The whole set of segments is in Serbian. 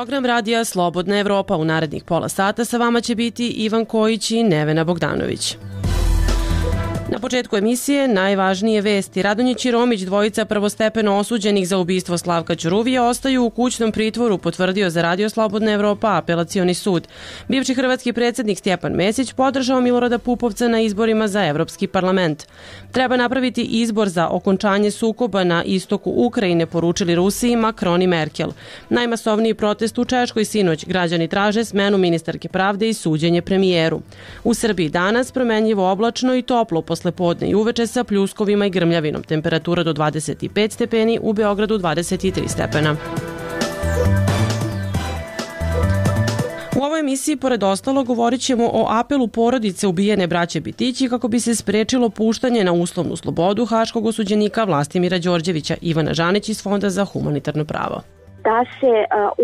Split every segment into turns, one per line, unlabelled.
program radija Slobodna Evropa. U narednih pola sata sa vama će biti Ivan Kojić i Nevena Bogdanović. Na početku emisije najvažnije vesti. Radonjić i Romić, dvojica prvostepeno osuđenih za ubistvo Slavka Ćuruvije, ostaju u kućnom pritvoru, potvrdio za Radio Slobodna Evropa Apelacioni sud. Bivši hrvatski predsjednik Stjepan Mesić podržao Milorada Pupovca na izborima za Evropski parlament. Treba napraviti izbor za okončanje sukoba na istoku Ukrajine, poručili Rusiji Macron i Merkel. Najmasovniji protest u Češkoj sinoć. Građani traže smenu ministarke pravde i suđenje premijeru. U Srbiji danas promenljivo oblačno i toplo posle podne i uveče sa pljuskovima i grmljavinom. Temperatura do 25 stepeni, u Beogradu 23 stepena. U ovoj emisiji, pored ostalo, govorit ćemo o apelu porodice ubijene braće Bitići kako bi se sprečilo puštanje na uslovnu slobodu haškog osuđenika Vlastimira Đorđevića. Ivana Žanić iz Fonda za humanitarno pravo.
Da se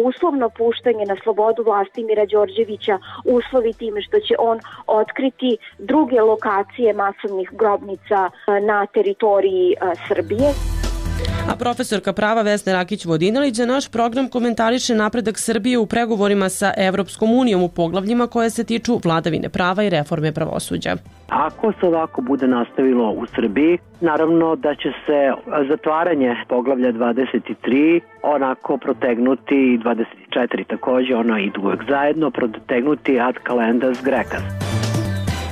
uslovno puštanje na slobodu Vlastimira Đorđevića uslovi time što će on otkriti druge lokacije masovnih grobnica na teritoriji Srbije.
A profesorka prava Vesna Rakić-Vodinelić za naš program komentariše napredak Srbije u pregovorima sa Evropskom unijom u poglavljima koje se tiču vladavine prava i reforme pravosuđa.
Ako se ovako bude nastavilo u Srbiji, naravno da će se zatvaranje poglavlja 23 onako protegnuti i 24 takođe, ono idu uvek zajedno, protegnuti ad calendas grecas.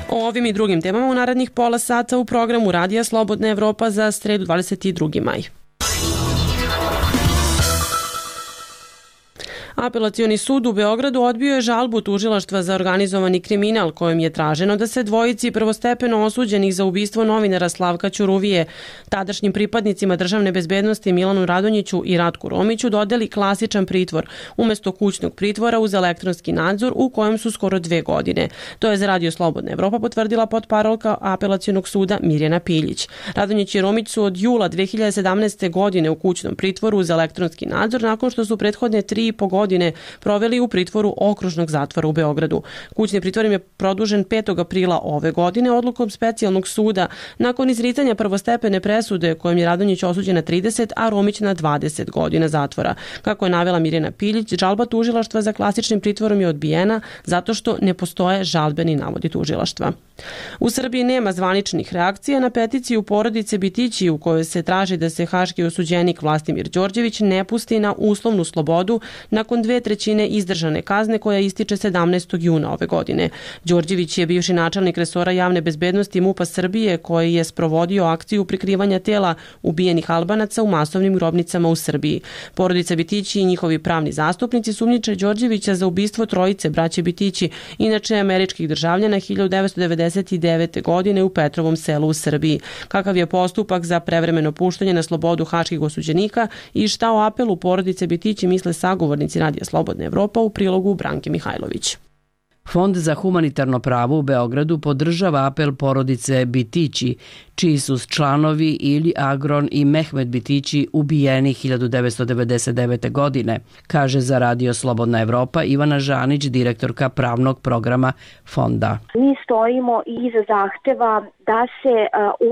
O ovim i drugim temama u narednih pola sata u programu Radija Slobodna Evropa za sredu 22. maj. Apelacioni sud u Beogradu odbio je žalbu tužilaštva za organizovani kriminal kojom je traženo da se dvojici prvostepeno osuđenih za ubistvo novinara Slavka Ćuruvije, tadašnjim pripadnicima državne bezbednosti Milanu Radonjiću i Ratku Romiću dodeli klasičan pritvor umesto kućnog pritvora uz elektronski nadzor u kojem su skoro 2 godine. To je za Radio Slobodna Evropa potvrdila potparolka Apelacionog suda Mirjana Piljić. Radonjić i Romić su od jula 2017. godine u kućnom pritvoru uz elektronski nadzor nakon što su prethodne 3,5 godine proveli u pritvoru okružnog zatvora u Beogradu. Kućni pritvor im je produžen 5. aprila ove godine odlukom specijalnog suda nakon izricanja prvostepene presude kojom je Radonjić osuđen na 30, a Romić na 20 godina zatvora. Kako je navela Mirjana Piljić, žalba tužilaštva za klasičnim pritvorom je odbijena zato što ne postoje žalbeni navodi tužilaštva. U Srbiji nema zvaničnih reakcija na peticiju porodice Bitići u kojoj se traži da se haški osuđenik Vlastimir Đorđević ne pusti na uslovnu slobodu nakon 2/3 izdržane kazne koja ističe 17. juna ove godine. Đorđević je bivši načelnik resora javne bezbednosti MUP-a Srbije koji je sprovodio akciju prikrivanja tela ubijenih Albanaca u masovnim grobnicama u Srbiji. Porodica Bitići i njihovi pravni zastupnici sumnjiče Đorđevića za ubistvo trojice braće Bitići, inače američkih državljana 1999. godine u Petrovom selu u Srbiji. Kakav je postupak za prevremeno puštanje na slobodu haških osuđenika i šta o apelu porodice Bitići misle sagovornici Radija Slobodna Evropa u prilogu Branke Mihajlović.
Fond za humanitarno pravo u Beogradu podržava apel porodice Bitići, čiji su članovi Ili Agron i Mehmet Bitići ubijeni 1999. godine, kaže za Radio Slobodna Evropa Ivana Žanić, direktorka pravnog programa fonda.
Mi stojimo iza zahteva da se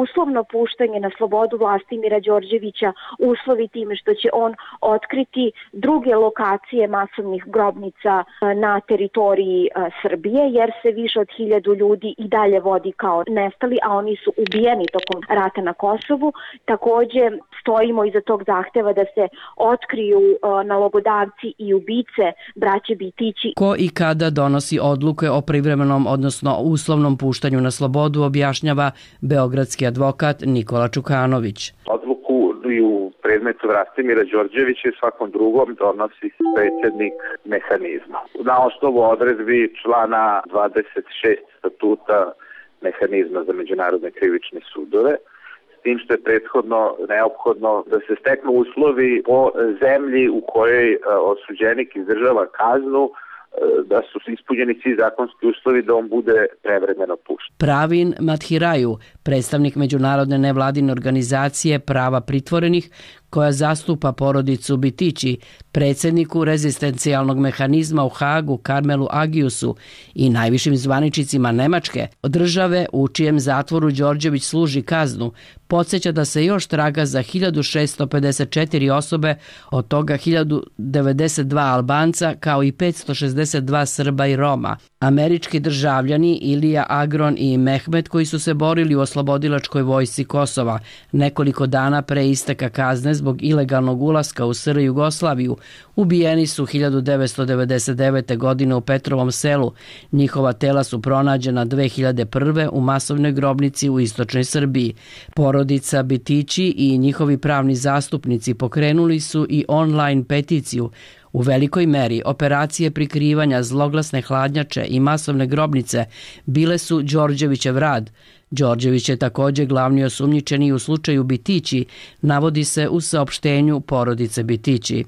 uslovno puštanje na slobodu Vlastimira Đorđevića uslovi time što će on otkriti druge lokacije masovnih grobnica na teritoriji Srbije, jer se više od 1000 ljudi i dalje vodi kao nestali, a oni su ubijeni tokom rata na Kosovu. Takođe stojimo iza tog zahteva da se otkriju nalogodavci i ubice braće Bitići.
Ko i kada donosi odluke o privremenom, odnosno uslovnom puštanju na slobodu, objašnjava beogradski advokat Nikola Čukanović.
Odluku i u predmetu Vlastimira Đorđevića i svakom drugom donosi predsjednik mehanizma. Na osnovu odredbi člana 26 statuta mehanizma za međunarodne krivične sudove, s tim što je prethodno neophodno da se steknu uslovi o zemlji u kojoj osuđenik izdržava kaznu, da su ispunjeni svi zakonski uslovi da on bude prevremeno pušten.
Pravin Mathiraju, predstavnik međunarodne nevladine organizacije prava pritvorenih, koja zastupa porodicu Bitići, predsjedniku rezistencijalnog mehanizma u Hagu Karmelu Agiusu i najvišim zvaničnicima Nemačke, države u čijem zatvoru Đorđević služi kaznu, podsjeća da se još traga za 1654 osobe, od toga 1092 Albanca kao i 562 Srba i Roma. Američki državljani Ilija Agron i Mehmet, koji su se borili u oslobodilačkoj vojsci Kosova nekoliko dana pre isteka kazne zbog ilegalnog ulaska u SR Jugoslaviju, ubijeni su 1999. godine u Petrovom selu. Njihova tela su pronađena 2001. u masovnoj grobnici u istočnoj Srbiji. Porodica Bitići i njihovi pravni zastupnici pokrenuli su i online peticiju. U velikoj meri operacije prikrivanja zloglasne hladnjače i masovne grobnice bile su Đorđevićev rad. Đorđević je također glavni osumnjičeni u slučaju Bitići, navodi se u saopštenju porodice Bitići.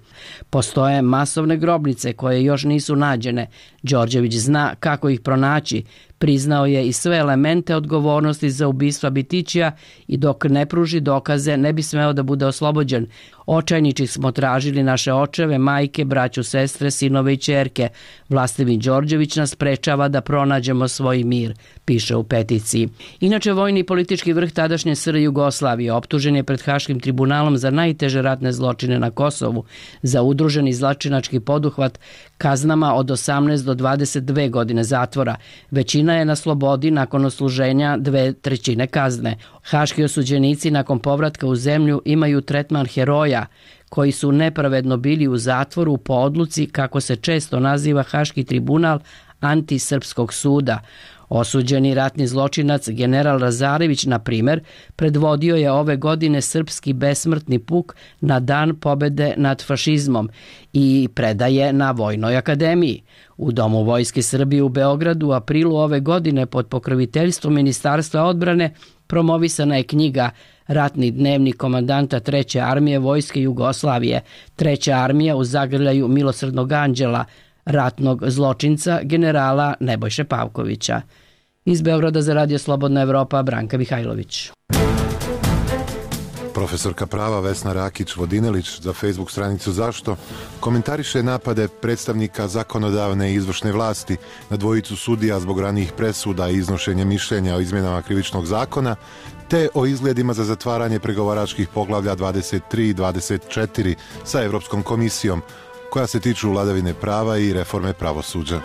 Postoje masovne grobnice koje još nisu nađene. Đorđević zna kako ih pronaći. Priznao je i sve elemente odgovornosti za ubistva Bitićija i dok ne pruži dokaze ne bi smeo da bude oslobođen. Očajnički smo tražili naše očeve, majke, braću, sestre, sinove i ćerke. Vlastimir Đorđević nas sprečava da pronađemo svoj mir, piše u peticiji. Inače, vojni i politički vrh tadašnje SR Jugoslavije optužen je pred Haškim tribunalom za najteže ratne zločine na Kosovu, za udruženi zločinački poduhvat kaznama od 18 do 22 godine zatvora. Većina je na slobodi nakon odsluženja 2/3 kazne. Haški osuđenici nakon povratka u zemlju imaju tretman heroja, koji su nepravedno bili u zatvoru po odluci, kako se često naziva Haški tribunal, antisrpskog suda. Osuđeni ratni zločinac general Lazarević, na primjer, predvodio je ove godine srpski besmrtni puk na dan pobede nad fašizmom i predaje na Vojnoj akademiji. U Domu Vojske Srbije u Beogradu u aprilu ove godine pod pokroviteljstvom Ministarstva odbrane promovisana je knjiga Ratni dnevnik komandanta 3. armije Vojske Jugoslavije, 3. armija u zagrljaju Milosrdnog anđela, ratnog zločinca generala Nebojše Pavkovića. Iz Beograda za Radio Slobodna Evropa, Branka Mihajlović.
Profesorka prava Vesna Rakić-Vodinelić za Facebook stranicu Zašto komentariše napade predstavnika zakonodavne i izvršne vlasti na dvojicu sudija zbog ranijih presuda i iznošenja mišljenja o izmjenama krivičnog zakona, te o izgledima za zatvaranje pregovaračkih poglavlja 23 i 24 sa Evropskom komisijom, koja se tiču vladavine prava i reforme pravosuđa.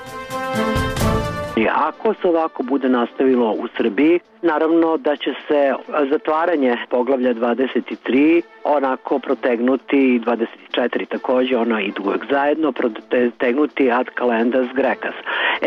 Ako se ovako bude nastavilo u Srbiji, naravno da će se zatvaranje poglavlja 23 onako protegnuti i 24 također, ono idu uvek zajedno, protegnuti ad calendas grecas.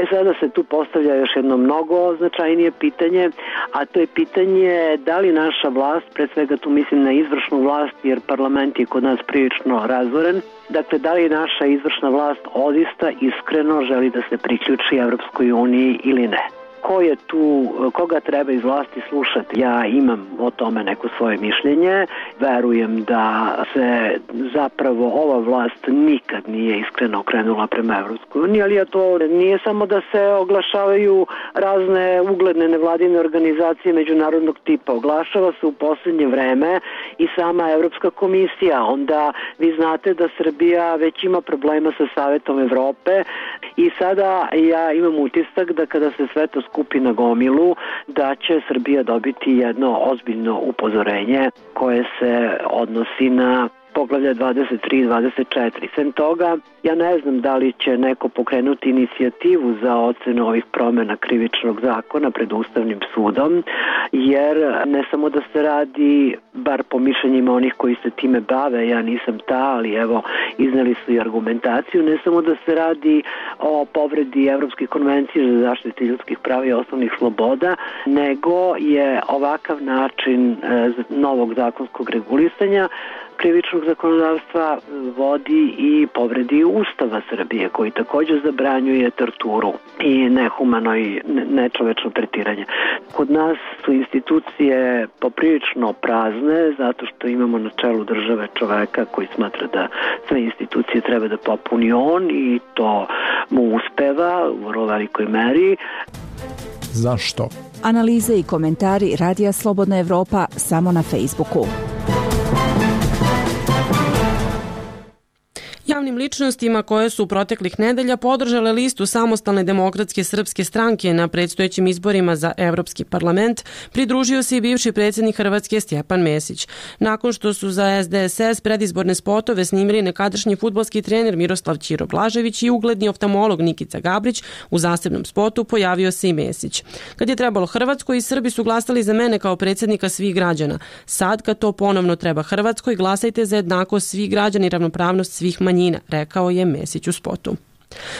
Sada se tu postavlja još jedno mnogo značajnije pitanje, a to je pitanje da li naša vlast, pre svega tu mislim na izvršnu vlast jer parlament je kod nas prilično razoren, dakle da li naša izvršna vlast odista iskreno želi da se priključi Evropskoj uniji ili ne. Ko je tu, koga treba iz vlasti slušati? Ja imam o tome neko svoje mišljenje. Verujem da se zapravo ova vlast nikad nije iskreno okrenula prema Evropskoj uniji, ali to nije samo da se oglašavaju razne ugledne nevladine organizacije međunarodnog tipa. Oglašava se u posljednje vreme i sama Evropska komisija. Onda vi znate da Srbija već ima problema sa Savetom Evrope i sada ja imam utisak da kada se sve to skupi na gomilu, da će Srbija dobiti jedno ozbiljno upozorenje koje se odnosi na poglavlja 23 i 24. Sem toga, ja ne znam da li će neko pokrenuti inicijativu za ocenu ovih promjena krivičnog zakona pred Ustavnim sudom, jer ne samo da se radi, bar po mišljenjima onih koji se time bave, ja nisam ta, ali evo, izneli su i argumentaciju, ne samo da se radi o povredi Evropske konvencije za zaštitu ljudskih prava i osnovnih sloboda, nego je ovakav način novog zakonskog regulisanja krivičnog zakonodavstva vodi i povredi Ustava Srbije, koji također zabranjuje torturu i nehumano i nečovečno tretiranje. Kod nas su institucije poprilično prazne, zato što imamo na čelu države čoveka koji smatra da sve institucije treba da popuni on i to mu uspeva u vrlo velikoj meri.
Zašto?
Analize i komentari Radija Slobodna Evropa samo na Facebooku.
ličnostima koje su proteklih nedelja podržale listu Samostalne demokratske srpske stranke na predstojećim izborima za Evropski parlament pridružio se i bivši predsjednik Hrvatske Stjepan Mesić. Nakon što su za SDSS predizborne spotove snimili nekadašnji fudbalski trener Miroslav Ćiro Blažević i ugledni oftalmolog Nikica Gabrić, u zasebnom spotu pojavio se i Mesić. Kad je trebalo Hrvatskoj, i Srbi su glasali za mene kao predsjednika svih građana. Sad, kad to ponovno treba Hrvatskoj, glasajte za jednakost svih građana i ravnopravnost svih manjina, rekao je Mesić u spotu.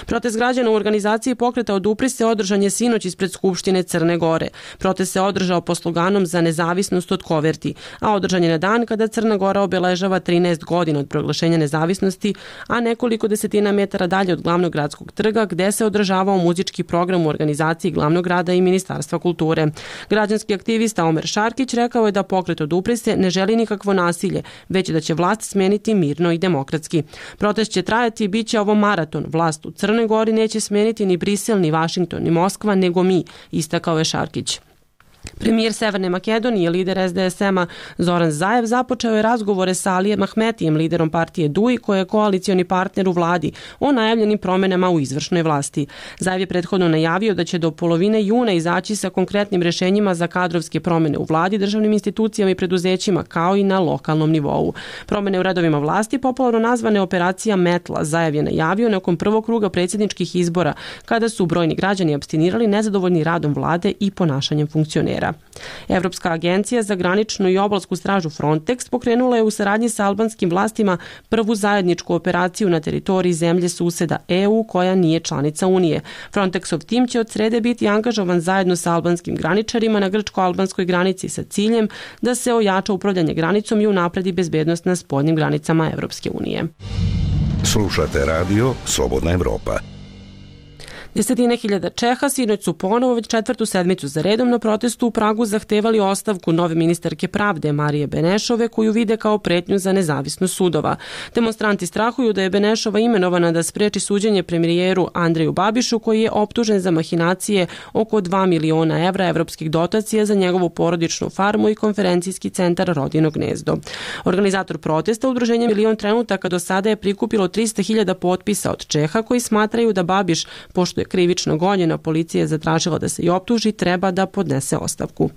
Protest građana u organizaciji pokreta Odupri se održan je sinoć ispred Skupštine Crne Gore. Protest se održao pod sloganom za nezavisnost od koverti, a održan je na dan kada Crna Gora obeležava 13 godina od proglašenja nezavisnosti, a nekoliko desetina metara dalje od glavnog gradskog trga gde se održavao muzički program u organizaciji glavnog grada i Ministarstva kulture. Građanski aktivista Omer Šarkić rekao je da pokret Odupri se ne želi nikakvo nasilje, već da će vlast smeniti mirno i demokratski. Protest će trajati i bit će ovo maraton. Vlast u Crnoj Gori neće smeniti ni Brisel, ni Vašington, ni Moskva, nego mi, istakao je Šarkić. Premijer Severne Makedonije, lider SDSM-a Zoran Zaev započeo je razgovore sa Alijem Ahmetijem, liderom partije DUI, koji je koalicioni partner u vladi, o najavljenim promenama u izvršnoj vlasti. Zaev je prethodno najavio da će do polovine juna izaći sa konkretnim rešenjima za kadrovske promene u vladi, državnim institucijama i preduzećima, kao i na lokalnom nivou. Promene u redovima vlasti, popularno nazvane operacija Metla, Zaev je najavio nakon prvog kruga predsjedničkih izbora, kada su brojni građani apstinirali nezadovoljni radom vlade i ponašanjem funkcionera. Evropska agencija za graničnu i obalsku stražu Frontex pokrenula je u saradnji sa albanskim vlastima prvu zajedničku operaciju na teritoriji zemlje suseda EU koja nije članica Unije. Frontexov tim će od srede biti angažovan zajedno sa albanskim graničarima na grčko-albanskoj granici sa ciljem da se ojača upravljanje granicom i unapredi bezbednost na spoljnim granicama Evropske unije.
Slušate radio Slobodna Evropa.
Desetine hiljada Čeha sinoć su ponovo već četvrtu sedmicu za redom na protestu u Pragu zahtevali ostavku nove ministarke pravde Marije Benešove, koju vide kao pretnju za nezavisnost sudova. Demonstranti strahuju da je Benešova imenovana da spreči suđenje premijeru Andreju Babišu, koji je optužen za mahinacije oko 2 miliona evra evropskih dotacija za njegovu porodičnu farmu i konferencijski centar Rodino gnezdo. Organizator protesta, udruženje Milion trenutaka, do sada je prikupilo 300.000 potpisa od Čeha koji smatraju da Babiš, pošto je krivično gonjena, policija je zatražila da se i optuži, treba da podnese ostavku.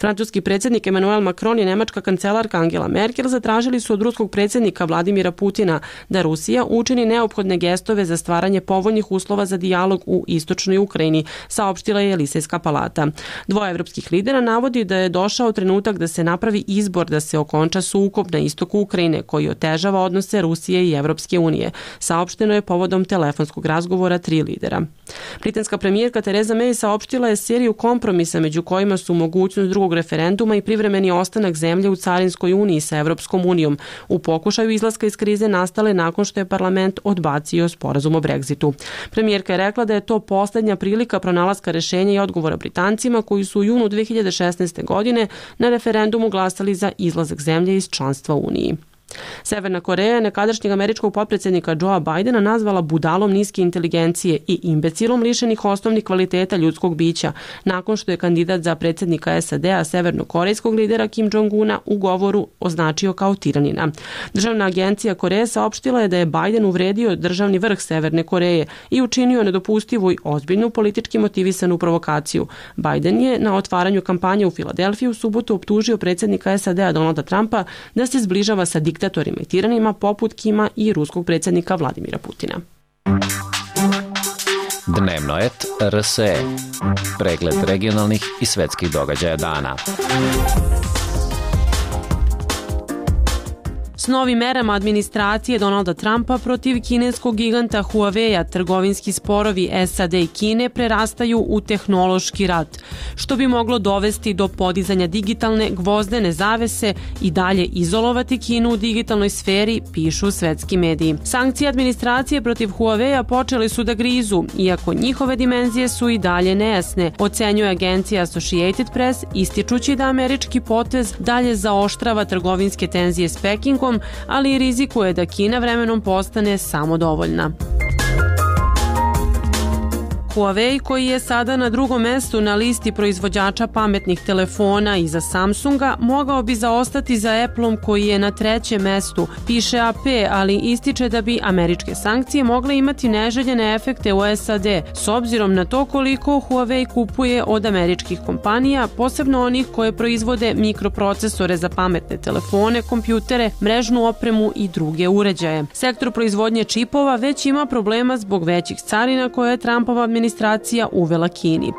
Francuski predsjednik Emmanuel Macron i nemačka kancelarka Angela Merkel zatražili su od ruskog predsjednika Vladimira Putina da Rusija učini neophodne gestove za stvaranje povoljnih uslova za dijalog u istočnoj Ukrajini, saopštila je Elisejska palata. Dvoje evropskih lidera navodi da je došao trenutak da se napravi izbor da se okonča sukob na istoku Ukrajine koji otežava odnose Rusije i Evropske unije. Saopšteno je povodom telefonskog razgovora 3 lidera. Britanska premijerka Theresa May saopštila je seriju kompromisa među kojima su mogućnost drugog referenduma i privremeni ostanak zemlje u carinskoj uniji sa Evropskom unijom u pokušaju izlaska iz krize nastale nakon što je parlament odbacio sporazum o Brexitu. Premijerka je rekla da je to poslednja prilika pronalaska rešenja i odgovora Britancima koji su u junu 2016. godine na referendumu glasali za izlazak zemlje iz članstva u Uniji. Severna Koreja je nekadašnjeg američkog potpredsjednika Joea Bidena nazvala budalom niske inteligencije i imbecilom lišenih osnovnih kvaliteta ljudskog bića, nakon što je kandidat za predsjednika SAD-a severnokorejskog lidera Kim Jong-una u govoru označio kao tiranina. Državna agencija Koreje saopštila je da je Biden uvredio državni vrh Severne Koreje i učinio nedopustivu i ozbiljnu politički motivisanu provokaciju. Biden je na otvaranju kampanje u Filadelfiji u subotu optužio predsjednika SAD-a Donalda Trumpa da se zbližava sa diktatorima i tiranima poput Kima i ruskog predsjednika Vladimira Putina.
Dnevnoet RSE. Pregled regionalnih i svetskih događaja dana.
S novim merama administracije Donalda Trumpa protiv kineskog giganta Huawei-a trgovinski sporovi SAD i Kine prerastaju u tehnološki rat, što bi moglo dovesti do podizanja digitalne gvozdene zavese i dalje izolovati Kinu u digitalnoj sferi, pišu svetski mediji. Sankcije administracije protiv Huawei-a počele su da grizu, iako njihove dimenzije su i dalje nejasne, ocenjuje agencija Associated Press, ističući da američki potez dalje zaoštrava trgovinske tenzije s Pekingom, ali i rizikuje da Kina vremenom postane samodovoljna. Huawei, koji je sada na drugom mestu na listi proizvođača pametnih telefona iza Samsunga, mogao bi zaostati za Appleom koji je na trećem mestu, piše AP, ali ističe da bi američke sankcije mogle imati neželjene efekte u SAD, s obzirom na to koliko Huawei kupuje od američkih kompanija, posebno onih koje proizvode mikroprocesore za pametne telefone, kompjutere, mrežnu opremu i druge uređaje. Sektor proizvodnje čipova već ima problema zbog većih carina koje je Trumpova administracija uvela Kini.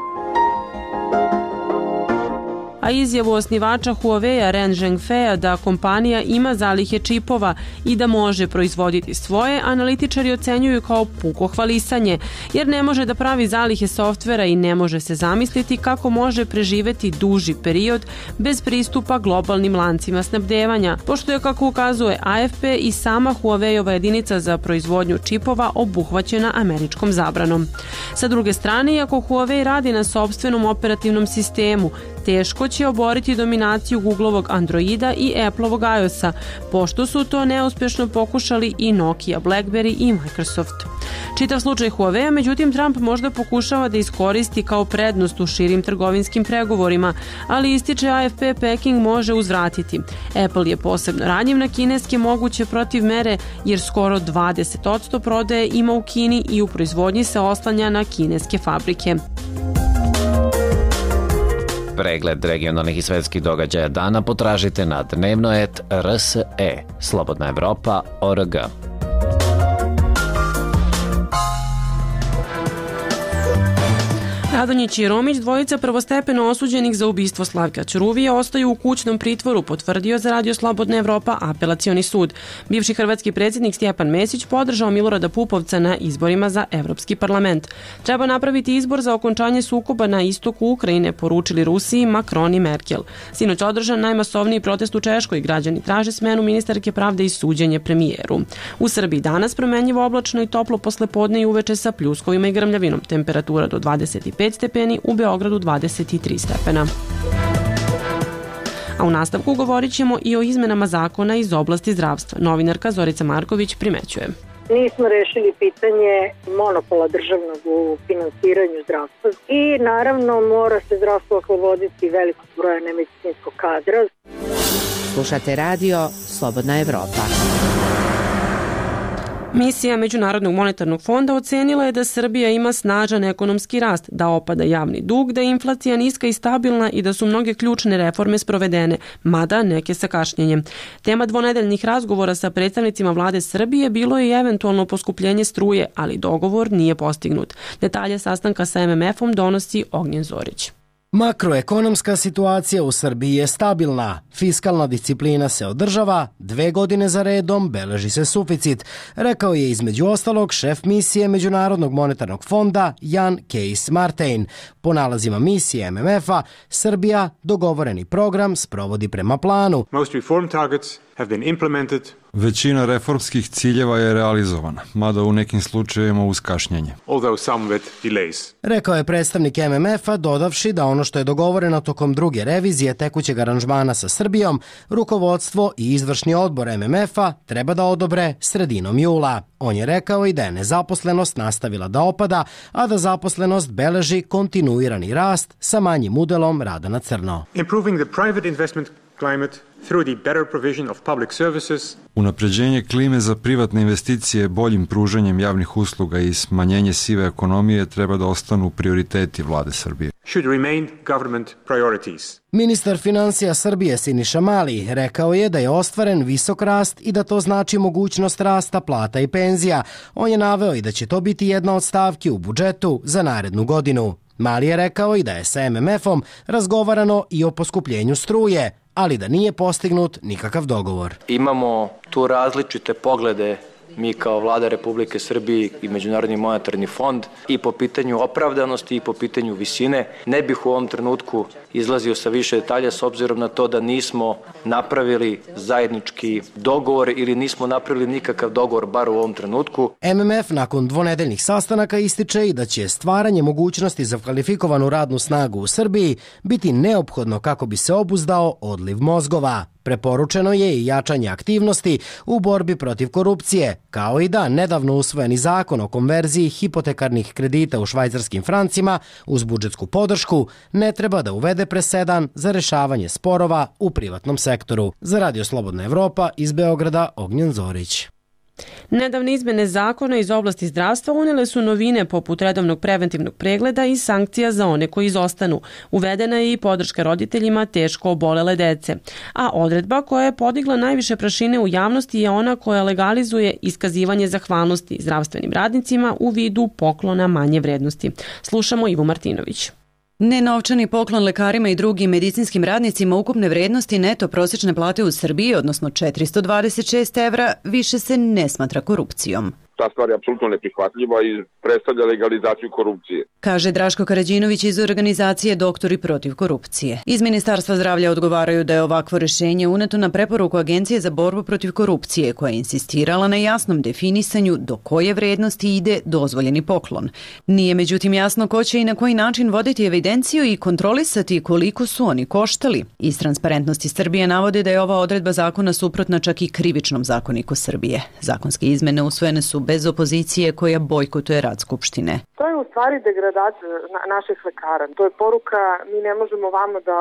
A izjavu osnivača Huawei-a Ren Zhengfeja da kompanija ima zalihe čipova i da može proizvoditi svoje, analitičari ocenjuju kao puko hvalisanje, jer ne može da pravi zalihe softvera i ne može se zamisliti kako može preživeti duži period bez pristupa globalnim lancima snabdevanja, pošto je, kako ukazuje AFP, i sama Huawei-ova jedinica za proizvodnju čipova obuhvaćena američkom zabranom. Sa druge strane, iako Huawei radi na sopstvenom operativnom sistemu, teško će oboriti dominaciju Googlovog Androida i Appleovog iOS-a, pošto su to neuspješno pokušali i Nokia, BlackBerry i Microsoft. Čitav slučaj Huawei-a, međutim, Trump možda pokušava da iskoristi kao prednost u širim trgovinskim pregovorima, ali ističe AFP, Peking može uzvratiti. Apple je posebno ranjiv na kineske moguće protivmere, jer skoro 20% prodaje ima u Kini i u proizvodnji se oslanja na kineske fabrike.
Pregled regionalnih i svetskih događaja dana potražite na dnevno.rse, Slobodna Evropa.org.
Radonjić i Romić, dvojica prvostepeno osuđenih za ubistvo Slavka Ćuruvije, ostaju u kućnom pritvoru, potvrdio za Radio Slobodna Evropa apelacioni sud. Bivši hrvatski predsjednik Stjepan Mesić podržao Milorada Pupovca na izborima za Evropski parlament. Treba napraviti izbor za okončanje sukoba na istoku Ukrajine, poručili Rusiji Macron i Merkel. Sinoć održan najmasovniji protest u Češkoj, građani traže smenu ministarke pravde i suđenje premijeru. U Srbiji danas promenljivo oblačno i toplo poslepodne i uveče sa pljuskovima i grmljavinom, temperatura do 25 stepeni, u Beogradu 23 stepena. A u nastavku govorit ćemo i o izmenama zakona iz oblasti zdravstva. Novinarka Zorica Marković primećuje.
Nismo rešili pitanje monopola državnog u finansiranju zdravstva i naravno mora se zdravstvo osloboditi velikog broja nemedicinskog kadra.
Slušate radio Slobodna Evropa.
Misija Međunarodnog monetarnog fonda ocenila je da Srbija ima snažan ekonomski rast, da opada javni dug, da je inflacija niska i stabilna i da su mnoge ključne reforme sprovedene, mada neke sa kašnjenjem. Tema dvonedeljnih razgovora sa predstavnicima vlade Srbije bilo je i eventualno poskupljenje struje, ali dogovor nije postignut. Detalje sastanka sa MMF-om donosi Ognjen Zorić.
Makroekonomska situacija u Srbiji je stabilna, fiskalna disciplina se održava, 2 godine za redom beleži se suficit, rekao je između ostalog šef misije Međunarodnog monetarnog fonda Jan Kees Martijn. Po nalazima misije MMF-a, Srbija dogovoreni program sprovodi prema planu.
Most reform targets have been implemented.
Većina reformskih ciljeva je realizovana, mada u nekim slučajevima uz kašnjenje.
Rekao je predstavnik MMF-a, dodavši da ono što je dogovoreno tokom druge revizije tekućeg aranžmana sa Srbijom, rukovodstvo i izvršni odbor MMF-a treba da odobre sredinom jula. On je rekao i da je nezaposlenost nastavila da opada, a da zaposlenost beleži kontinuirani rast sa manjim udelom rada na crno.
Improving the private investment climate through the better provision of public services.
Unapređenje klime za privatne investicije boljim pružanjem javnih usluga i smanjenje sive ekonomije treba da ostanu prioriteti vlade Srbije.
Should remain government priorities.
Ministar financija Srbije Siniša Mali rekao je da je ostvaren visok rast i da to znači mogućnost rasta plata i penzija. On je naveo i da će to biti jedna od stavki u budžetu za narednu godinu. Mali je rekao i da je sa MMF-om razgovarano i o poskupljenju struje, ali da nije postignut nikakav dogovor.
Imamo tu različite poglede mi kao vlada Republike Srbije i Međunarodni monetarni fond i po pitanju opravdanosti i po pitanju visine. Ne bih u ovom trenutku izlazio sa više detalja s obzirom na to da nismo napravili zajednički dogovor ili nismo napravili nikakav dogovor bar u ovom trenutku.
MMF nakon dvonedeljnih sastanaka ističe i da će stvaranje mogućnosti za kvalifikovanu radnu snagu u Srbiji biti neophodno kako bi se obuzdao odliv mozgova. Preporučeno je i jačanje aktivnosti u borbi protiv korupcije, kao i da nedavno usvojeni zakon o konverziji hipotekarnih kredita u švajcarskim francima uz budžetsku podršku ne treba da uvede presedan za rešavanje sporova u privatnom sektoru. Za Radio Slobodna Evropa iz Beograda, Ognjen Zorić.
Nedavne izmene zakona iz oblasti zdravstva unele su novine poput redovnog preventivnog pregleda i sankcija za one koji izostanu. Uvedena je i podrška roditeljima teško obolele dece. A odredba koja je podigla najviše prašine u javnosti je ona koja legalizuje iskazivanje zahvalnosti zdravstvenim radnicima u vidu poklona manje vrednosti. Slušamo Ivu Martinović.
Nenovčani poklon lekarima i drugim medicinskim radnicima ukupne vrednosti neto prosječne plate u Srbiji, odnosno 426 evra, više se ne smatra korupcijom.
Ta stvar je apsolutno neprihvatljiva i predstavlja legalizaciju korupcije.
Kaže Draško Karađinović iz organizacije Doktori protiv korupcije. Iz Ministarstva zdravlja odgovaraju da je ovakvo rešenje uneto na preporuku Agencije za borbu protiv korupcije, koja je insistirala na jasnom definisanju do koje vrednosti ide dozvoljeni poklon. Nije međutim jasno ko će i na koji način voditi evidenciju i kontrolisati koliko su oni koštali. Iz Transparentnosti Srbije navode da je ova odredba zakona suprotna čak i Krivičnom zakoniku Srbije. Zakonske izmene usvojene su bez opozicije koja bojkotuje rad Skupštine.
To je u stvari degradacija naših lekara. To je poruka, mi ne možemo vama da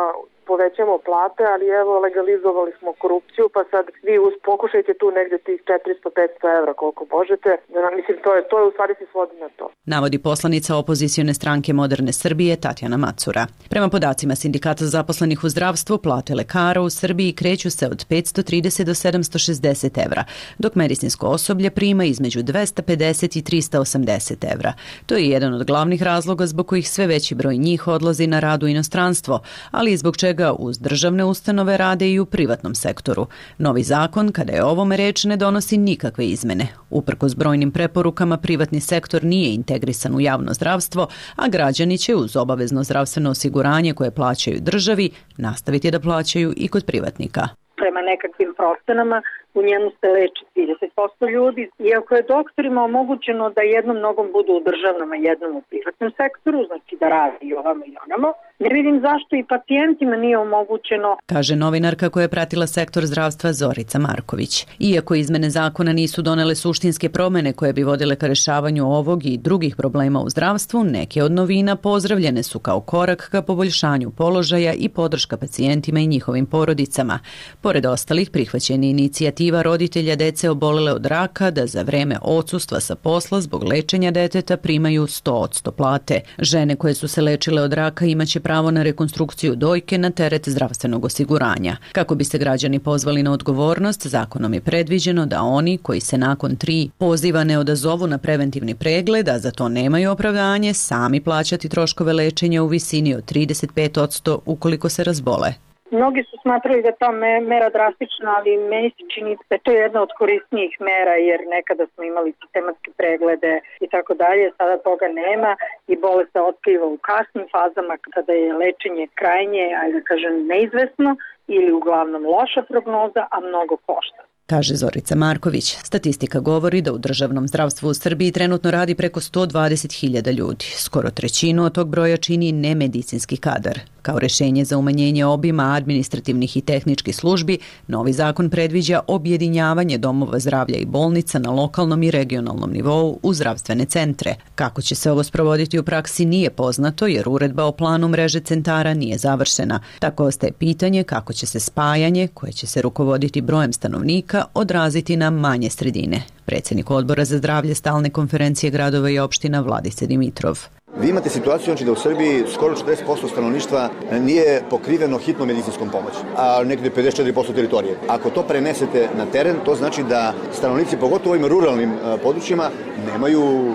povećamo plate, ali evo legalizovali smo korupciju, pa sad vi pokušajte tu negde tih 400-500 evra koliko možete. Mislim, to je u stvari se svodi na to.
Navodi poslanica opozicione stranke Moderne Srbije Tatjana Macura. Prema podacima Sindikata zaposlenih u zdravstvu, plate lekara u Srbiji kreću se od 530 do 760 evra, dok medicinsko osoblje prima između 250 i 380 evra. To je jedan od glavnih razloga zbog kojih sve veći broj njih odlazi na rad u inostranstvo, ali i zbog čega uz državne ustanove rade i u privatnom sektoru. Novi zakon, kada je o ovome reč, ne donosi nikakve izmene. Uprkos brojnim preporukama, privatni sektor nije integrisan u javno zdravstvo, a građani će uz obavezno zdravstveno osiguranje koje plaćaju državi nastaviti da plaćaju i kod privatnika.
Prema nekakvim procenama u njemu se leči 30% ljudi. Iako je doktorima omogućeno da jednom nogom budu u državnom, a jednom u privatnom sektoru, znači da radi i ovamo i onamo, ne vidim zašto i pacijentima nije omogućeno.
Kaže novinarka koja je pratila sektor zdravstva Zorica Marković. Iako izmene zakona nisu donele suštinske promene koje bi vodile ka rešavanju ovog i drugih problema u zdravstvu, neke od novina pozdravljene su kao korak ka poboljšanju položaja i podrška pacijentima i njihovim porodicama. Pored ostalih, prihvaćen je inicijativa roditelja dece obolele od raka da za vreme odsustva sa posla zbog lečenja deteta primaju 100% plate. Žene koje su se lečile od raka imaće pravo na rekonstrukciju dojke na teret zdravstvenog osiguranja. Kako bi se građani pozvali na odgovornost, zakonom je predviđeno da oni koji se nakon 3 poziva ne odazovu na preventivni pregled, a za to nemaju opravdanje, sami plaćati troškove lečenja u visini od 35% ukoliko se razbole.
Mnogi su smatrali da je ta mera drastična, ali meni se čini da je to jedna od korisnijih mera, jer nekada smo imali sistematske preglede i tako dalje, sada toga nema i bolest se otkriva u kasnim fazama kada je lečenje krajnje, ajde da kažem, neizvesno ili uglavnom loša prognoza, a mnogo košta.
Kaže Zorica Marković. Statistika govori da u državnom zdravstvu u Srbiji trenutno radi preko 120.000 ljudi. Skoro trećinu od tog broja čini nemedicinski kadar. Kao rešenje za umanjenje obima administrativnih i tehničkih službi, novi zakon predviđa objedinjavanje domova zdravlja i bolnica na lokalnom i regionalnom nivou u zdravstvene centre. Kako će se ovo sprovoditi u praksi nije poznato jer uredba o planu mreže centara nije završena. Tako ostaje pitanje kako će se spajanje, koje će se rukovoditi brojem stanovnika, odraziti na manje sredine. Predsjednik Odbora za zdravlje Stalne konferencije gradova i opština Vladice Dimitrov.
Vi imate situaciju znači da u Srbiji skoro 40% stanovništva nije pokriveno hitnom medicinskom pomoći, a nekde 54% teritorije. Ako to prenesete na teren, to znači da stanovnici, pogotovo u ovim ruralnim područjima, nemaju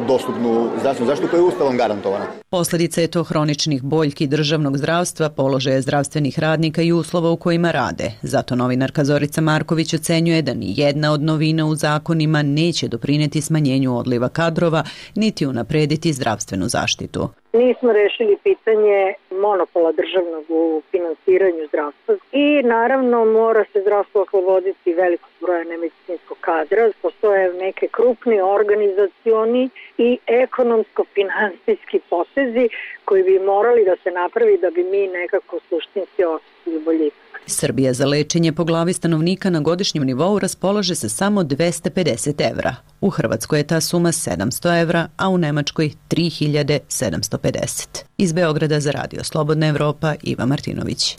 dostupnu zdravstvenu zaštitu koja je Ustavom garantovana.
Posljedica je to hroničnih boljki državnog zdravstva, položaja zdravstvenih radnika i uslova u kojima rade. Zato novinarka Zorica Marković ocenjuje da ni jedna od novina u zakonima neće doprineti smanjenju odliva kadrova, niti unaprediti zdravstvenu zaštitu.
Nismo rešili pitanje monopola državnog u finansiranju zdravstva i naravno mora se zdravstvo osloboditi velikog broja nemedicinskog kadra. Postoje neke krupni organizacioni i ekonomsko-finansijski potezi koji bi morali da se napravi da bi mi nekako suštinski osjetili boljitak.
Srbija za lečenje po glavi stanovnika na godišnjem nivou raspolaže se samo 250 evra. U Hrvatskoj je ta suma 700 evra, a u Nemačkoj 3750. Iz Beograda za Radio Slobodna Evropa, Iva Martinović.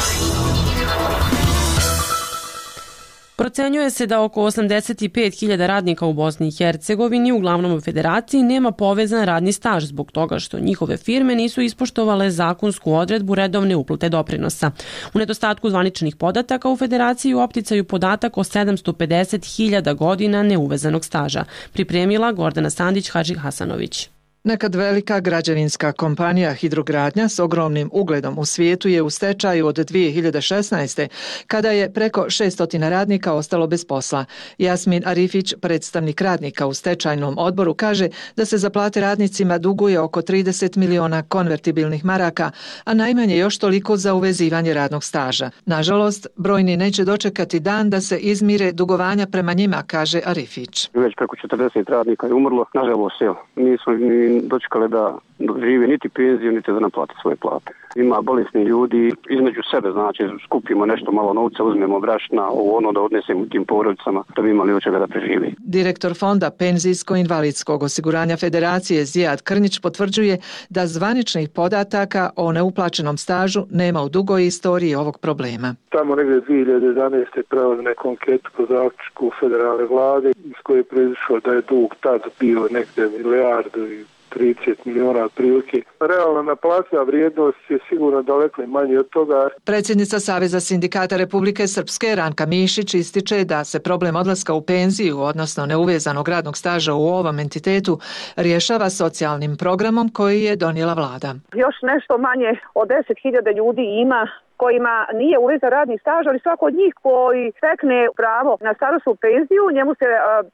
Procenjuje se da oko 85.000 radnika u Bosni i Hercegovini, uglavnom u Federaciji, nema povezan radni staž zbog toga što njihove firme nisu ispoštovale zakonsku odredbu redovne uplate doprinosa. U nedostatku zvaničnih podataka u Federaciji u opticaju podatak o 750.000 godina neuvezanog staža. Pripremila Gordana Sandić-Hadži Hasanović.
Nekad velika građevinska kompanija Hidrogradnja s ogromnim ugledom u svijetu je u stečaju od 2016. kada je preko 600 radnika ostalo bez posla. Jasmin Arifić, predstavnik radnika u stečajnom odboru, kaže da se za plate radnicima duguje oko 30 miliona konvertibilnih maraka, a najmanje još toliko za uvezivanje radnog staža. Nažalost, brojni neće dočekati dan da se izmire dugovanja prema njima, kaže Arifić.
Već preko 40 radnika je umrlo, nažalost, nismo ni dočekali da žive niti penziju, niti da naplate svoje plate. Ima bolesni ljudi, između sebe, znači skupimo nešto malo novca, uzmemo brašna, ono da odnesemo tim porodicama, da bi imali od čega da preživi.
Direktor Fonda penzijsko-invalidskog osiguranja Federacije Zijad Krnjić potvrđuje da zvaničnih podataka o neuplaćenom stažu nema u dugoj istoriji ovog problema.
Tamo negdje 2011. pravo neku anketu po zaključku federalne vlade iz koje je proizišlo da je dug tad bio negdje milijardu i 30 miliona otprilike. Realna naplativa vrijednost je sigurno daleko manje od toga.
Predsjednica Saveza sindikata Republike Srpske Ranka Mišić ističe da se problem odlaska u penziju, odnosno neuvezanog radnog staža u ovom entitetu, rješava socijalnim programom koji je donijela vlada.
Još nešto manje od 10.000 ljudi ima kojima nije uvezan radni staž, ali svako od njih koji stekne pravo na starosnu penziju, njemu se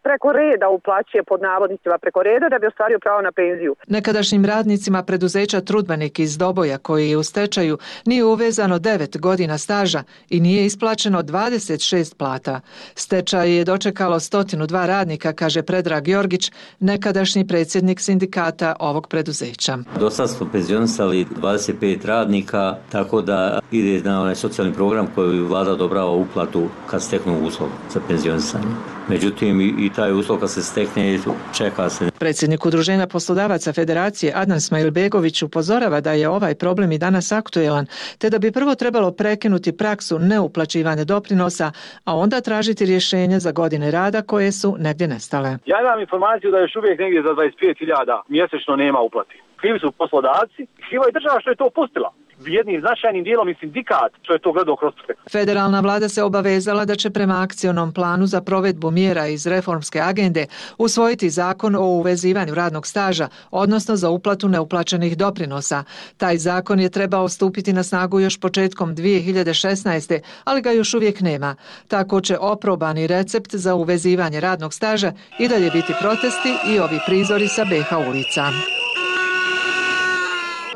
preko reda uplaćuje, pod navodnicima preko reda, da bi ostvario pravo na penziju.
Nekadašnjim radnicima preduzeća Trudbenik iz Doboja, koji je u stečaju, nije uvezano 9 godina staža i nije isplaćeno 26 plata. Stečaj je dočekalo 102 radnika, kaže Predrag Jorgić, nekadašnji predsjednik sindikata ovog preduzeća.
Do sad smo penzionisali 25 radnika, tako da ide na onaj socijalni program koji vlada odobrava uplatu kad steknu uslov za penzionisanje. Međutim, i taj uslov kad se stekne, čeka se.
Predsjednik Udruženja poslodavaca Federacije Adnan Smajlbegović upozorava da je ovaj problem i danas aktuelan, te da bi prvo trebalo prekinuti praksu neuplaćivanja doprinosa, a onda tražiti rješenje za godine rada koje su negdje nestale.
Ja imam informaciju da još uvijek negdje za 25.000 mjesečno nema uplati. Krivi su poslodavci, kriva je država što je to pustila. Jednim značajnim dijelom i sindikat što je to gledao kroz sve.
Federalna vlada se obavezala da će prema akcionom planu za provedbu mjera iz reformske agende usvojiti zakon o uvezivanju radnog staža, odnosno za uplatu neuplaćenih doprinosa. Taj zakon je trebao stupiti na snagu još početkom 2016. ali ga još uvijek nema. Tako će oprobani recept za uvezivanje radnog staža i dalje biti protesti i ovi prizori sa BH ulica.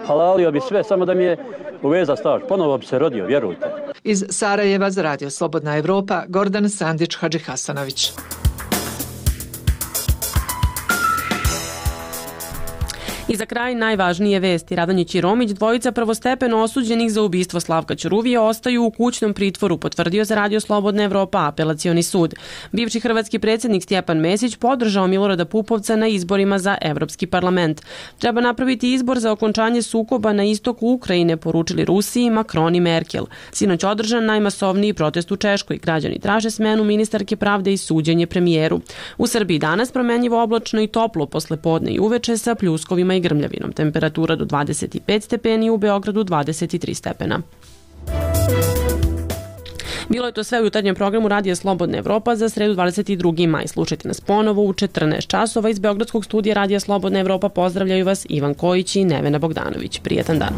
Halalio bi sve, samo da mi je uveza staž. Ponovo bi se rodio, vjerujte.
Iz Sarajeva za Radio Slobodna Evropa, Gordan Sandić-Hadži Hasanović.
I za kraj najvažnije vesti. Radonjić i Romić, dvojica prvostepeno osuđenih za ubistvo Slavka Ćuruvije, ostaju u kućnom pritvoru, potvrdio za Radio Slobodna Evropa apelacioni sud. Bivši hrvatski predsjednik Stjepan Mesić podržao Milorada Pupovca na izborima za Evropski parlament. Treba napraviti izbor za okončanje sukoba na istoku Ukrajine, poručili Rusiji Macron i Merkel. Sinoć održan najmasovniji protest u Češkoj. Građani traže smenu ministarke pravde i suđenje premijeru. U Srbiji danas promenljivo oblačno i toplo posle podne i uveče sa pljuskovima i grmljavinom. Temperatura do 25 stepeni, u Beogradu 23 stepena. Bilo je to sve u jutarnjem programu Radija Slobodna Evropa za sredu 22. maj. Slušajte nas ponovo u 14 časova. Iz Beogradskog studija Radija Slobodna Evropa pozdravljaju vas Ivan Kojić i Nevena Bogdanović. Prijetan dan.